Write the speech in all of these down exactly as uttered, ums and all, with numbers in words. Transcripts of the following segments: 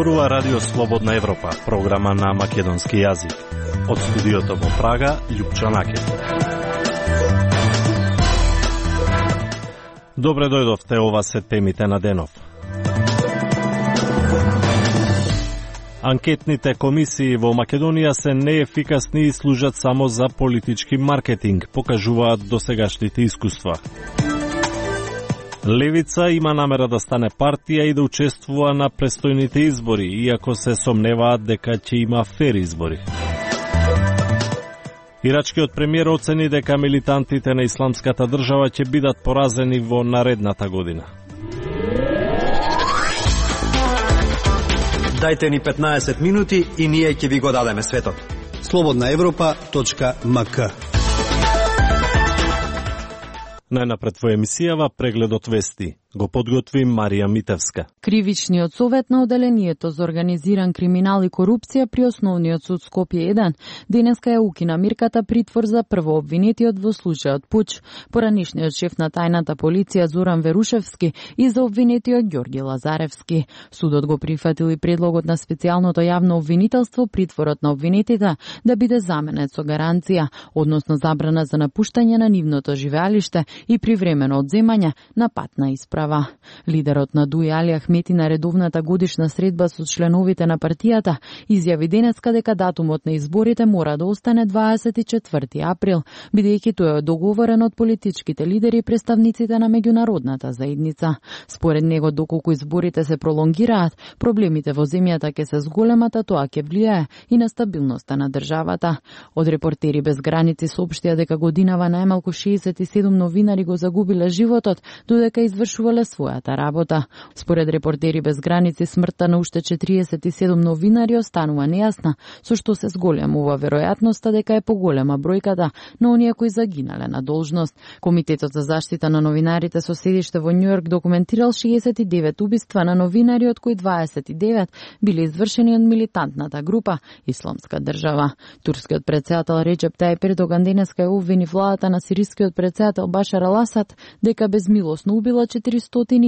Зборува Радио Слободна Европа, програма на македонски јазик. Од студиото во Прага, Љупчо Накет. Добре дојдовте, ова се темите на денов. Анкетните комисии во Македонија се неефикасни и служат само за политички маркетинг, покажуваат досегашните искуства. Левица има намера да стане партија и да учествува на престојните избори, иако се сомневаат дека ќе има фер избори. Ирачкиот премиер оцени дека милитантите на Исламската држава ќе бидат поразени во наредната година. Дајте ни петнаесет минути и ние ќе ви го дадеме светот. слободна европа точка ем ка. Најнапред во емисијава прегледот вести. Го подготви Марија Митевска. Кривичниот совет на Оделението за организиран криминал и корупција при Основниот суд Скопје еден денеска ја укина мирката притвор за првообвинетиот во случајот Пуч, поранишниот шеф на тајната полиција Зоран Верушевски и за обвинетиот Ѓорги Лазаревски. Судот го прифатил и предлогот на специјалното јавно обвинителство притворот на обвинетите да биде заменет со гаранција, односно забрана за напуштање на нивното живеалиште и привремено одземање на патна исправа. Лидерот на ДУИ Али Ахмети на редовната годишна средба со членовите на партијата изјави денеска дека датумот на изборите мора да остане дваесет и четврти април, бидејќи тој е договорен од политичките лидери и представниците на меѓународната заедница. Според него, доколку изборите се пролонгираат, проблемите во земјата ќе се зголемат, а тоа ќе влијае и на стабилноста на државата. Од Репортери без граници соопштија дека годинава најмалку шеесет и седум новинари го загубиле животот додека извршувале својата работа. Според Репортери без граници, смртта на уште четириесет и седум новинари останува нејасна, со што се зголемува веројатноста дека е поголема бројката на оние кои загинале на должност. Комитетот за заштита на новинарите со седиште во Њујорк документирал шеесет и девет убиства на новинари, од кои дваесет и девет биле извршени од милитантната група Исламска држава. Турскиот претседател Реџеп Тајип Ердоган денеска ја обвини владата на сирискиот претседател Башар ал Асад дека безмилосно убила четиристотини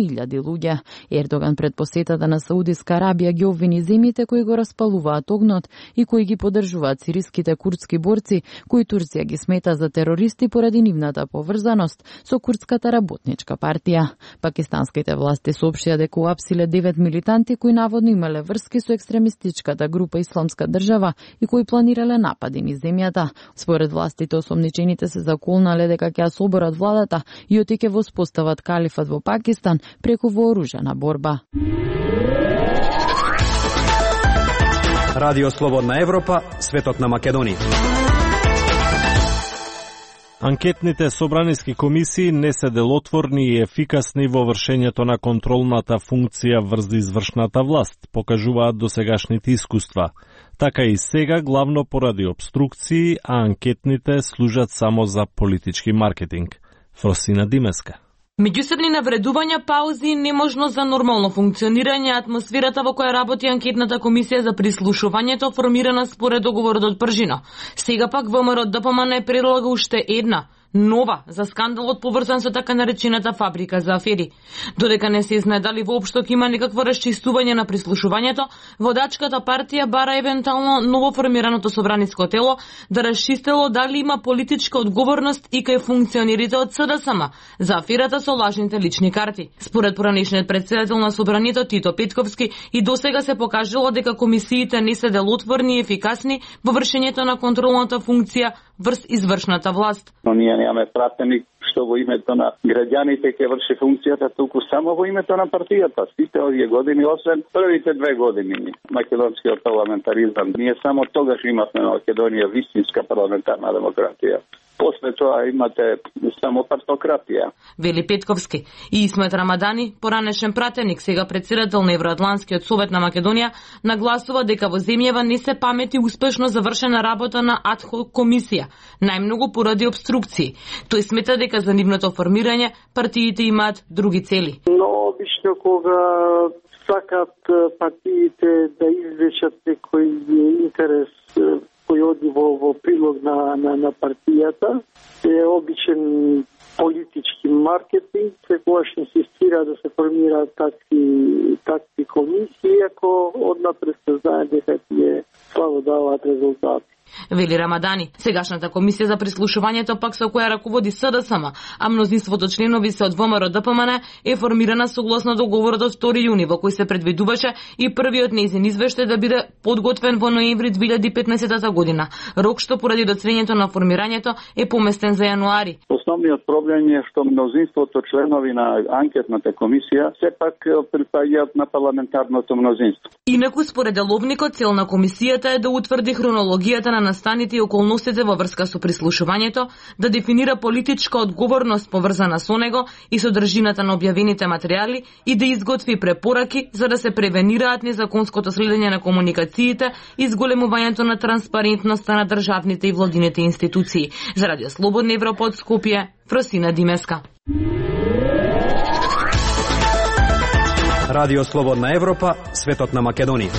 илјади луѓе. Ердоган пред посетата на Саудиска Арабија ги обвини земјите кои го распалуваат огнот и кои ги поддржуваат сириските курдски борци, кои Турција ги смета за терористи поради нивната поврзаност со Курдската работничка партија. Пакистанските власти соопштија дека уапсиле девет милитанти кои наводно имале врски со екстремистичката група Исламска држава и кои планирале напади низ земјата. Според властите, осомничените се заколнале дека ќе ја соборат владата и оти ќе воспостават калифат во Пакистан преку вооружена борба. Радио Слободна Европа, светот на Македонија. Анкетните собраниски комисии не се делотворни и ефикасни во вршењето на контролната функција врз извршната власт, покажуваат досегашните искуства. Така и сега, главно поради обструкции, а анкетните служат само за политички маркетинг. Фросина Димеска. Меѓусебни навредувања, паузи и неможност за нормално функционирање, атмосферата во која работи анкетната комисија за прислушувањето формирана според договорот од Пржино. Сега пак ВМРО Д П М Н предлага уште една нова за скандалот поврзан со така наречената фабрика за афери. Додека не се знае дали воопшто ќе има некакво расчистување на прислушувањето, водачката партија бара евентуално новоформираното собраниско тело да расчистело дали има политичка одговорност и кај функционерите од С Д С М за аферата со лажните лични карти. Според поранишниот претседател на собранието Тито Петковски, и досега се покажало дека комисиите не се делотворни и ефикасни во вршењето на контролната функција врз извршната власт. Но ние немаме пратеник што во името на граѓаните ќе врши функцијата, туку само во името на партијата. Сите овие години, освен првите две години македонскиот парламентаризам, ние само тогаш имавме на Македонија вистинска парламентарна демократија. После тоа имате само партократија. Вели Петковски. И Исмет Рамадани, поранешен пратеник, сега председател на Евроатланскиот совет на Македонија, нагласува дека во земјава не се памети успешно завршена работа на адхок комисија, најмногу поради обструкции. Тој смета дека за нивното формирање партиите имаат други цели. Но обично кога сакат партиите да извлечат некој интерес кој оди во, во прилог на, на, на партијата, е обичен политички маркетинг, секогаш инсистира да се формираат такви, такви комисии, ако однапред се знае дека тие слабо даваат резултати. Вели Рамадани. Сегашната комисија за прислушувањето пак со која раководи СДСМ, а мнозинството членови се од ВМРО Д П М Н, е формирана согласно договорот од втори јуни во кој се предвидуваше и првиот нејзин извештај да биде подготвен во ноември две илјади и петнаесетта година. Рок што поради доцвењето на формирањето е поместен за јануари. Основниот проблем е што мнозинството членови на анкетната комисија сепак припаѓаат на парламентарното мнозинство. Инаку според деловникот цел на комисијата е да утврди хронологијата на настаните и околностите во врска со прислушувањето, да дефинира политичка одговорност поврзана со него и содржината на објавените материјали и да изготви препораки за да се превенираат незаконското следење на комуникациите и зголемувањето на транспарентноста на државните и владините институции. За Радио Слободна Европа од Скопје, Фросина Димеска. Радио Слободна Европа, светот на Македонија.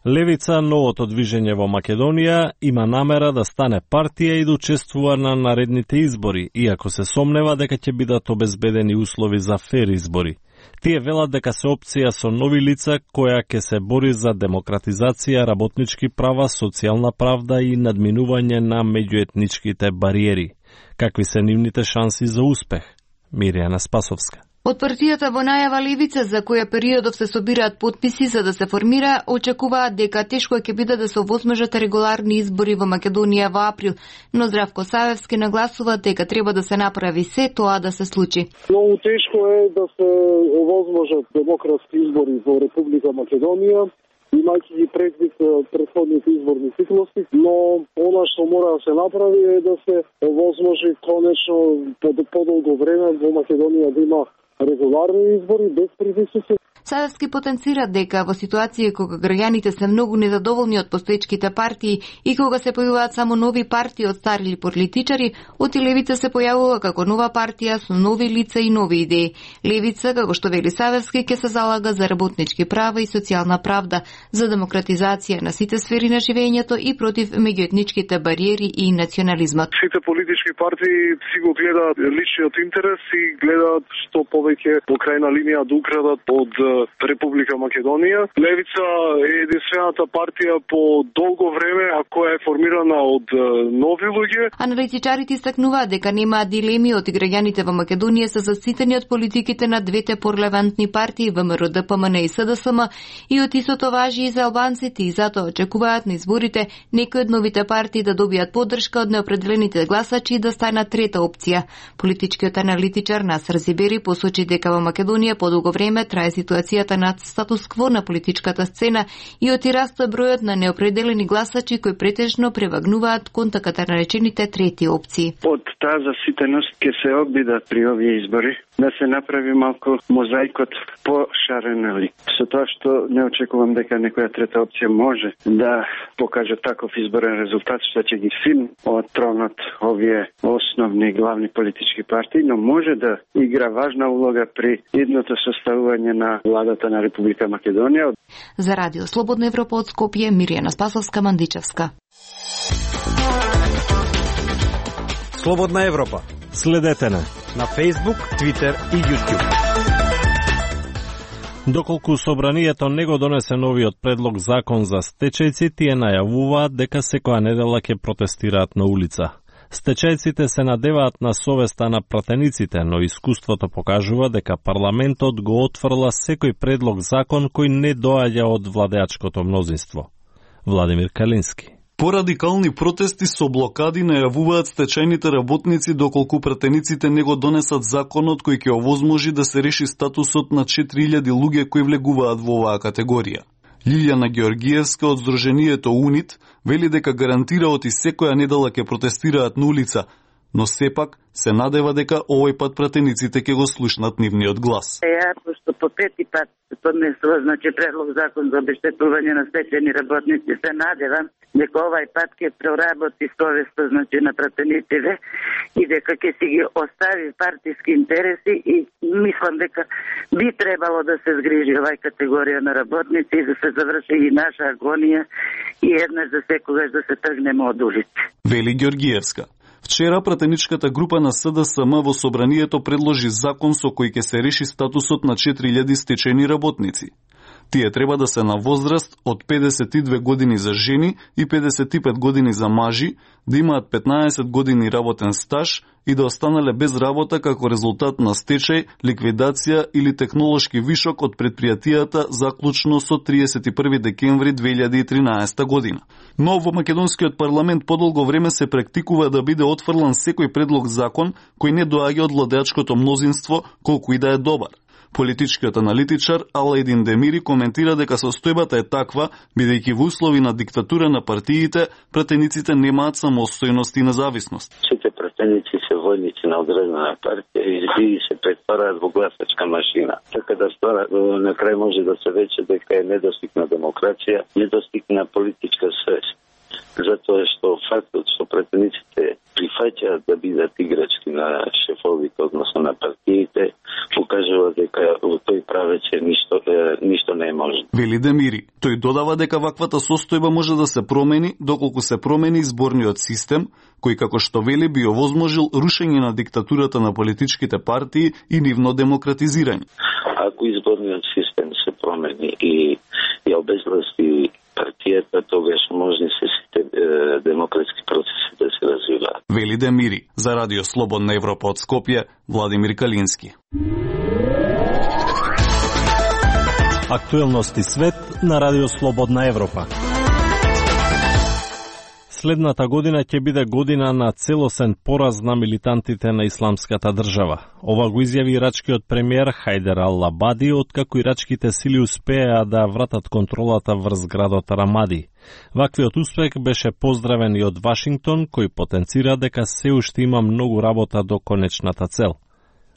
Левица, новото движење во Македонија, има намера да стане партија и да учествува на наредните избори, иако се сомнева дека ќе бидат обезбедени услови за фер избори. Тие велат дека се опција со нови лица која ќе се бори за демократизација, работнички права, социјална правда и надминување на меѓуетничките бариери. Какви се нивните шанси за успех? Миријана Спасовска. Од партијата во најава Левица, за која периодов се собираат подписи за да се формира, очекуваат дека тешко ќе биде да се овозможат регуларни избори во Македонија во април, но Здравко Савевски нагласува дека треба да се направи се тоа да се случи. Многу тешко е да се овозможат демократски избори во Република Македонија, имајќи ги предвид претходните изборни циклуси, но она што мора да се направи е да се овозможи конечно по подолго време во Македонија да има регуларни избори без притисоци. Савевски потенцира дека во ситуација кога граѓаните се многу незадоволни од постоечките партии и кога се појавуваат само нови партии од стари политичари, од Левица се појавува како нова партија со нови лица и нови идеи. Левица, како што вели Савевски, ќе се залага за работнички права и социјална правда, за демократизација на сите сфери на живењето и против меѓуетничките бариери и национализмот. Сите политички партии си го гледаат личниот интерес и гледаат што повеќе по крајна линија да украдат од Република Македонија. Левица е единствената партија по долго време, а која е формирана од нови луѓе. Аналитичарите истакнуваат дека немаат дилеми од граѓаните во Македонија се заситени од политиките на двете порелевантни партии ВМРО Д П М Н и С Д С М и од истото важи и за албанците и затоа очекуваат на изборите некои од новите партии да добијат поддршка од неопределените гласачи и да станат трета опција. Политичкиот аналитичар Насер Зибери посочи дека во Македонија подолго време трае ситуацијата на статус-кво на политичката сцена и оти расте бројот на неопределени гласачи кои претежно превагнуваат кон така наречените трети опции. Од таа заситеност ќе се обидат при овие избори да се направи малку мозаикот пошарен, нали? Со тоа што не очекувам дека некоја трета опција може да покаже таков изборен резултат што ќе ги силни од тронот овие основни главни политички партии, но може да игра важна улога при идното составување на владата на Република Македонија. За Радио Слободна Европа од Скопје, Миријана Спасовска, Мандичевска. Слободна Европа. Следете на на Facebook, Twitter и YouTube. Доколку собранието не го донесе новиот предлог закон за стечајци, тие најавуваат дека секоја недела ќе протестираат на улица. Стечајците се надеваат на совеста на пратениците, но искуството покажува дека парламентот го отфрла секој предлог закон кој не доаѓа од владеачкото мнозинство. Владимир Калински. Порадикални протести со блокади најавуваат стечајните работници доколку пратениците не го донесат законот кој ќе овозможи да се реши статусот на четири илјади луѓе кои влегуваат во оваа категорија. Лилјана Георгиевска од Сдруженијето УНИТ вели дека гарантира оти секоја недела ќе протестираат на улица, но сепак се надева дека овој пат пратениците ќе го слушнат нивниот глас. Ја, пошто по пети пат се поднесува, значи, предлог закон за обештетување на стечајни работници, се надевам дека овај пат ќе проработи совеста, значи, на пратениците и дека ќе си ги остави партиски интереси и мислам дека би требало да се згрижи овај категорија на работници и да се заврши и наша агонија и еднаш за секогаш да се тргнеме од улици. Вели Георгиевска. Вчера пратеничката група на С Д С М во собранието предложи закон со кој ќе се реши статусот на четири илјади стечени работници. Тие треба да се на возраст од педесет и две години за жени и педесет и пет години за мажи, да имаат петнаесет години работен стаж и да останале без работа како резултат на стечај, ликвидација или технолошки вишок од предпријатијата заклучно со триесет и први декември две илјади и тринаесета година. Но во македонскиот парламент подолго време се практикува да биде отфрлан секој предлог закон кој не доаѓа од владеачкото мнозинство, колку и да е добар. Политичкиот аналитичар Алајдин Демири коментира дека состојбата е таква, бидејќи во услови на диктатура на партиите, пратениците немаат самостојност и независност. Сите пратеници се војници на одредена партија и се претвараат во гласачка машина. Така да ствара, на крај може да се рече дека е недостиг на демокрација, недостиг на политичка свест. Затоа што фактот што пратениците прифаќаат да бидат играчки на шефовите, односно на партиите, покажува дека во тој правеќе ништо, ништо не е можно. Вели Демири. Тој додава дека ваквата состојба може да се промени доколку се промени изборниот систем, кој како што вели би овозможил рушење на диктатурата на политичките партии и нивно демократизирање. Ако изборниот систем се промени и ја обезвласти партијата, тогаш можни се сите е, демократски процеси да се развиваат. Вели Демири. За Радио Слободна Европа од Скопје, Владимир Калински. Актуелности свет на Радио Слободна Европа. Следната година ќе биде година на целосен пораз на милитантите на исламската држава. Ова го изјави ирачкиот премиер Хајдер ал-Абади, откако ирачките сили успеа да вратат контролата врз градот Рамади. Ваквиот успех беше поздравен и од Вашингтон, кој потенцира дека се уште има многу работа до конечната цел.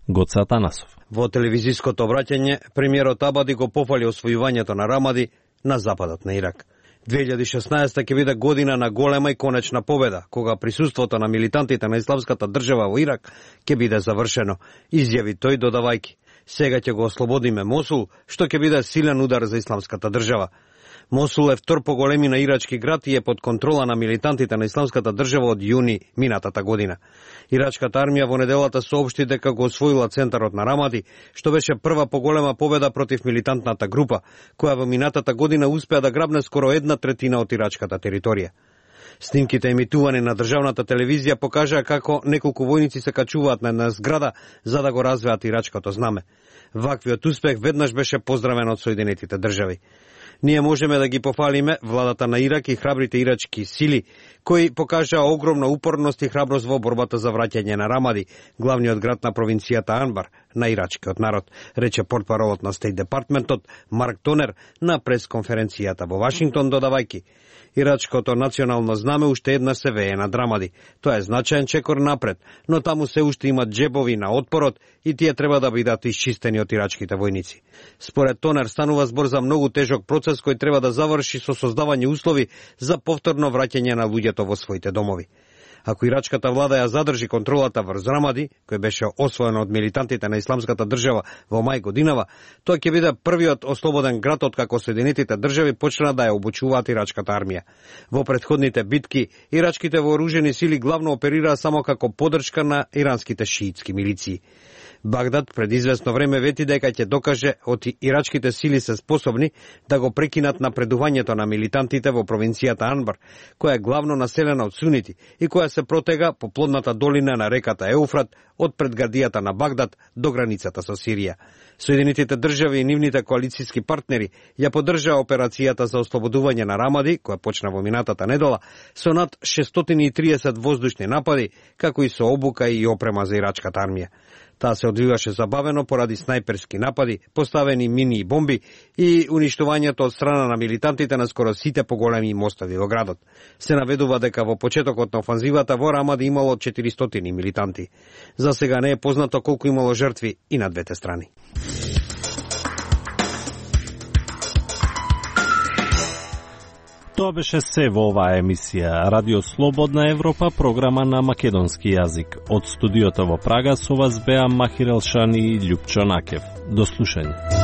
Гоце Атанасов. Во телевизиското обраќање, премиерот Абади го пофали освојувањето на Рамади на западот на Ирак. две илјади и шеснаесета ќе биде година на голема и конечна победа, кога присуството на милитантите на исламската држава во Ирак ќе биде завршено, изјави тој додавајки. Сега ќе го ослободиме Мосул, што ќе биде силен удар за исламската држава. Мосул е втор по големина ирачки град и е под контрола на милитантите на исламската држава од јуни минатата година. Ирачката армија во неделата соопшти дека го освоила центарот на Рамади, што беше прва поголема победа против милитантната група, која во минатата година успеа да грабне скоро една третина од ирачката територија. Снимките емитувани на државната телевизија покажаа како неколку војници се качуваат на една зграда за да го развеат ирачкото знаме. Ваквиот успех веднаш беше поздравен од Соединетите држави. Ние можеме да ги пофалиме владата на Ирак и храбрите ирачки сили, кои покажаа огромна упорност и храброст во борбата за враќање на Рамади, главниот град на провинцијата Анбар, на ирачкиот народ, рече портпаролот на Стейт Департментот Марк Тонер на пресконференцијата во Вашингтон, додавајки: ирачкото национално знаме уште една се вее над Рамади. Тоа е значаен чекор напред, но таму се уште имат джебови на отпорот и тие треба да бидат исчистени од ирачките војници. Според Тонер станува збор за многу тежок процес кој треба да заврши со создавање услови за повторно враќање на луѓето во своите домови. Ако ирачката влада ја задржи контролата врз Рамади, кој беше освоен од милитантите на исламската држава во мај годинава, тоа ќе биде првиот ослободен град откако Соединетите држави почна да ја обучуваат ирачката армија. Во претходните битки, ирачките вооружени сили главно оперираа само како поддршка на иранските шиитски милиции. Багдад пред известно време вети дека ќе докаже од ирачките сили се способни да го прекинат напредувањето на милитантите во провинцијата Анбар, која е главно населена од сунити и која се протега по плодната долина на реката Еуфрат од предградијата на Багдад до границата со Сирија. Соединетите држави и нивните коалицијски партнери ја поддржаа операцијата за ослободување на Рамади, која почна во минатата недела, со над шестстотини и триесет воздушни напади, како и со обука и опрема за ирачката армија. Таа се одвиваше забавено поради снајперски напади, поставени мини и бомби и уништувањето од страна на милитантите на скоро сите поголеми мостови во градот. Се наведува дека во почетокот на офанзивата во Рамади имало четиристотини милитанти. За сега не е познато колку имало жртви и на двете страни. Тоа беше се во оваа емисија. Радио Слободна Европа, програма на македонски јазик. Од студиото во Прага со вас беа Махир Елшани и Љупчо Накев. До слушање.